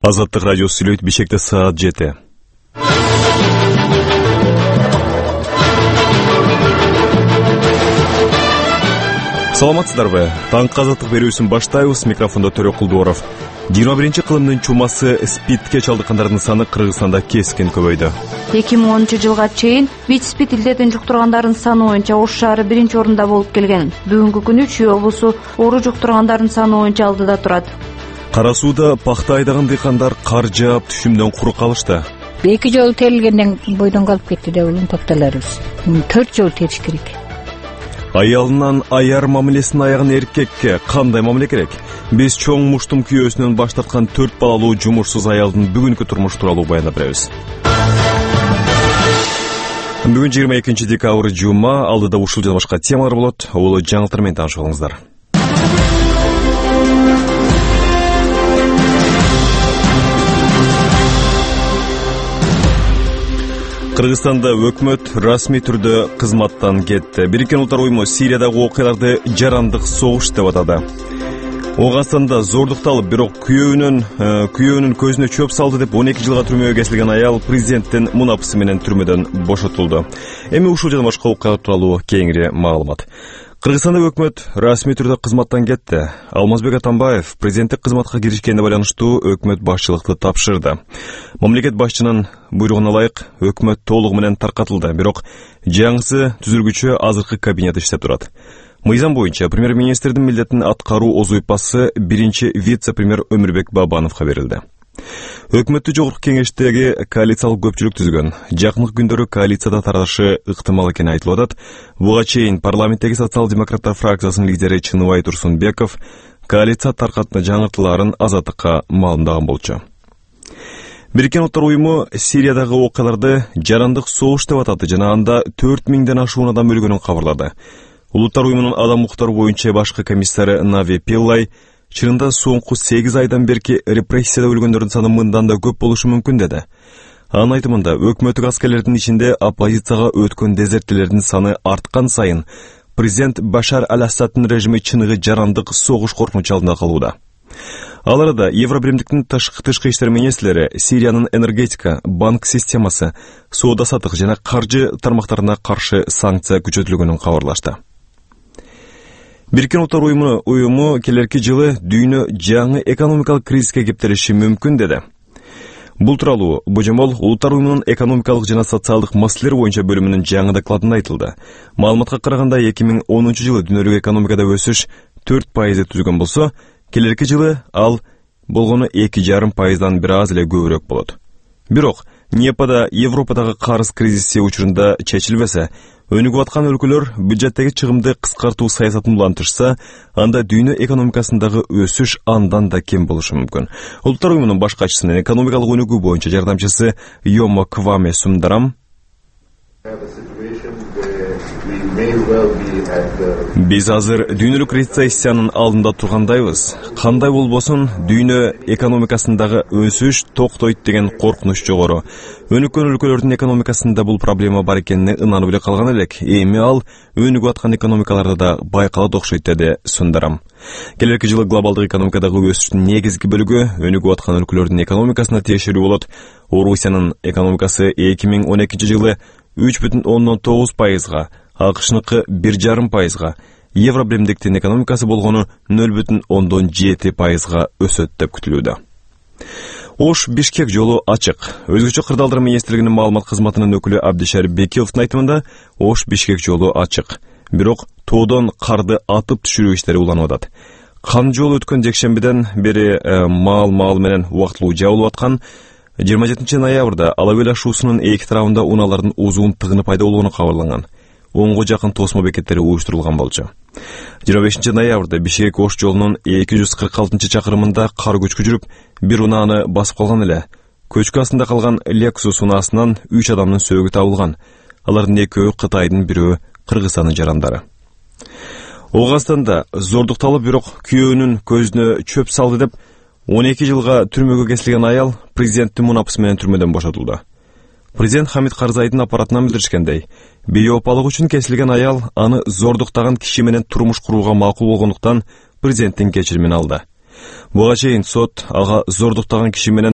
Азаттык радиосу сүйлөйт. Бишкекте саат 7. Саламатсыздарбы? Таңкы азаттык берүүсүн баштайбыз. Микрофондо Төрө Кулдуоров. 21-кылымдын чумасы СПИДке чалдыккандардын саны Кыргызстанда кескин көбөйдү. 2010-жылга чейин ВИЧ-СПИД илдетин жуктургандардын саны боюнча Ош шаары 1-орунда болуп келген. Бүгүнкү күнү Чүй облусу оору жуктургандардын саны боюнча алдыда турат. Кара сууда пахта айдаган дыйкандар кар жаап түшүмдөн куру калышты. 2 жолу терилгенден бойдон калып кетти деп токтолорбуз. 4 жолу териш керек. Аялынан аяр мамилесин аяган эркекке кандай мамиле керек? Биз чоң муштум күйөөсүнөн баш тарткан 4 балалуу жумушсуз аялдын бүгүнкү турмушу тууралуу баяндап беребиз. Бүгүн 22 декабрь жума, алдыда ушул жана башка темалар болот. Улуу жаңылыктар менен таанышып алыңыздар. Кыргызстанда өкмөт расмий түрдө кызматтан кетти. Бириккен Улуттар уюму Сириядагы окуяларды жарандык согуш деп атады. Ооганстанда зордукталып, бирок күйөөнүн көзүнө чөп салды деп 12 жылга түрмөгө кесилген аял президенттин мунапысы менен түрмөдөн бошотулду. Эми ушул жана башка окуялар тууралуу кеңири маалымат. Кыргызстанда өкмөт расмий түрдө кызматтан кетти. Алмазбек Атамбаев президенттик кызматка киришкенине байланыштуу өкмөт башчылыкты тапшырды. Мамлекет башчынын буйругуна ылайык өкмөт толугу менен таркатылды, бирок жаңысы түзүлгүчө азыркы кабинет иштеп турат. Мыйзам боюнча премьер-министрдин милдетин аткаруу озуйпасы биринчи вице-премьер Өмүрбек Бабановго берилди. Өкмөттү жогорку кеңештеги коалициялык көпчүлүк түзгөн. Жакынкы күндөрү коалицияда тарашы ыктымал экени айтылып атат. Буга чейин парламенттеги социал-демократтар фракциясынын лидери Чыныбай Турсунбеков коалиция таркатына жаңыртууларын Азаттыкка маалымдаган болчу. Бириккен Улуттар уюму Сириядагы окуяларды жарандык согуш деп атады жана анда 4000ден ашуун адам өлгөнүн кабарлады. Улуттар уюмунун адам укуктары боюнча башкы комиссары Нави Пиллай чынында соңку 8 айдан берки репрессияда өлгөндөрдүн саны мындан да көп болушу мүмкүн деди. Анын айтымында өкмөттүк аскерлердин ичинде оппозицияга өткөн дезертирлердин саны арткан сайын президент Башар аль-Асаддын режими чыныгы жарандык согуш коркунучу алдында калууда. Ал арада Евробиримдиктин тышкы иштер министрлери Сириянын энергетика, банк системасы, соода-саттык жана каржы тармактарына каршы санкция күчөтүлгөнүн кабарлашты. Бириккен Улуттар уюму келерки жылы дүйнө жаңы экономикалык кризиске кептелиши мүмкүн деди. Бул тууралуу божомол Улуттар уюмунун экономикалык жана социалдык маселелер боюнча бөлүмүнүн жаңы докладында айтылды. Маалыматка караганда 2010 жылы дүйнөлүк экономикада өсүш 4% түзгөн болсо, келерки жылы ал болгону 2,5%дан бир аз эле көбүрөөк болот. Бирок НЕПАда Европадагы карыз кризиси учурунда чечилбесе, өнүгүп аткан өлкөлөр бюджеттеги чыгымды кыскартуу саясатын улантышса, анда дүйнө экономикасындагы өсүш андан да кем болушу мүмкүн. Улуттар уюмунун баш катчысынын экономикалык өнүгүү боюнча жардамчысы Йомо Кваме Сундарам биз азыр дүйнөлүк рецессиянын алдында тургандайбыз. Кандай болбосун, дүйнө экономикасындагы өсүш токтойт деген коркунуч жогору. Өнүккөн өлкөлөрдүн экономикасында бул проблема бар экенине ынанып эле калган элек. Эми ал өнүгүп аткан экономикаларда да байкалат окшойт деди Сундарам. Келерки жылы глобалдык экономикадагы өсүштүн негизги бөлүгү өнүгүп аткан өлкөлөрдүн экономикасына тиешелүү болот. Орусиянын экономикасы 2012 жылы 3,9%, АКШныкы 1,5%, Евробиримдиктин экономикасы болгону 0,7%га өсөт деп күтүлүүдө. Ош Бишкек жолу ачык. Өзгөчө кырдаалдар министрлигинин маалымат кызматынын өкүлү Абдишарип Бекиловдун айтымында Ош Бишкек жолу ачык. Бирок тоодон карды атып түшүрүү иштери уланып атат. Кан жол өткөн жекшембиден бери маал менен убактылуу жабылып аткан. 27 ноябрда Алабел ашуусунун эки тарабында унаалардын узун тыгыны пайда болгону кабарланган. 10го жакын тосмо бекеттери уюштурулган болчу. 25 ноябрда Бишкек Ош жолунун 246-чакырымында кар көчкү жүрүп, бир унааны басып калган эле. Көчкү астында калган Lexus унаасынан 3 адамдын сөөгү табылган. Алардын экөө Кытайдын, бирөө Кыргызстандын жарандары. Ооганстанда зордукталып, бирок күйөөнүн көзүнө чөп салды деп 12 жылга түрмөгө кесилген аял президенттин мунапысы менен түрмөдөн бошотулду. Президент Хамид Карзайдын аппаратынан билдиришкендей, бейопалык үчүн кесилген аял аны зордуктаган киши менен турмуш курууга макул болгондуктан президенттин кечиримин алды. Буга чейин сот ага зордуктаган киши менен